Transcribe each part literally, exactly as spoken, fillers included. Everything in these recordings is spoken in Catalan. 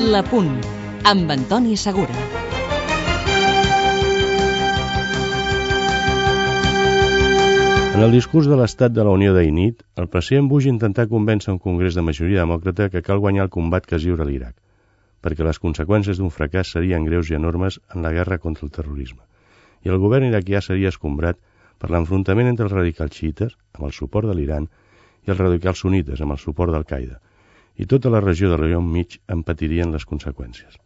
La Punt, amb Antoni Segura. En el discurs de l'Estat de la Unió d'ahir nit, el president Bush intentà convèncer un congrés de majoria demòcrata que cal guanyar el combat que es lliura a l'Iraq, perquè les conseqüències d'un fracàs serien greus i enormes en la guerra contra el terrorisme, i el govern iraquià seria escombrat per l'enfrontament entre els radicals xiites, amb el suport de l'Iran, i els radicals sunites, amb el suport d'Al-Qaeda, i tota la regió de l'Orient Mig en patirien les conseqüències.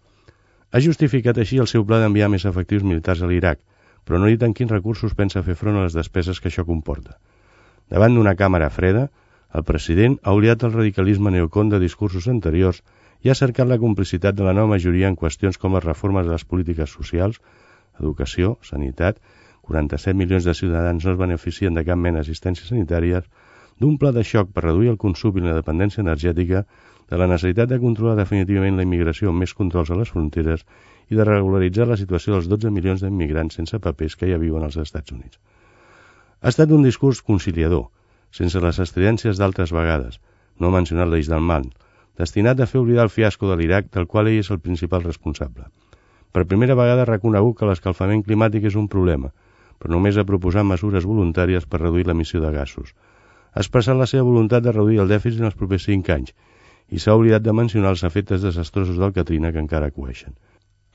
Ha justificat així el seu pla d'enviar més efectius militars a l'Iraq, però no ha dit en quins recursos pensa fer front a les despeses que això comporta. Davant d'una càmera freda, el president ha oblidat el radicalisme neocon de discursos anteriors i ha cercat la complicitat de la nova majoria en qüestions com les reformes de les polítiques socials, educació, sanitat, quaranta-set milions de ciutadans no es beneficien de cap mena d'assistència sanitària, d'un pla de xoc per reduir el consum i la dependència energètica, de la necessitat de controlar definitivament la immigració amb més controls a les fronteres i de regularitzar la situació dels dotze milions d'immigrants sense papers que ja viuen als Estats Units. Ha estat un discurs conciliador, sense les estridències d'altres vegades, no ha mencionat l'eix del mal, destinat a fer oblidar el fiasco de l'Iraq, del qual ell és el principal responsable. Per primera vegada ha reconegut que l'escalfament climàtic és un problema, però només ha proposat mesures voluntàries per reduir l'emissió de gasos. Ha expressat la seva voluntat de reduir el dèficit en els propers cinc anys i s'ha oblidat de mencionar els efectes desastrosos del Katrina que encara coeixen.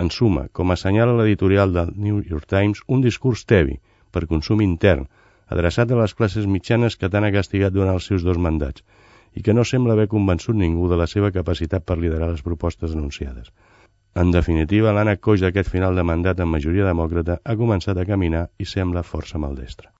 En suma, com assenyala l'editorial del New York Times, un discurs tebi per consum intern, adreçat a les classes mitjanes que tant ha castigat durant els seus dos mandats i que no sembla haver convençut ningú de la seva capacitat per liderar les propostes anunciades. En definitiva, l'ànec coix d'aquest final de mandat amb majoria demòcrata ha començat a caminar i sembla força maldestre.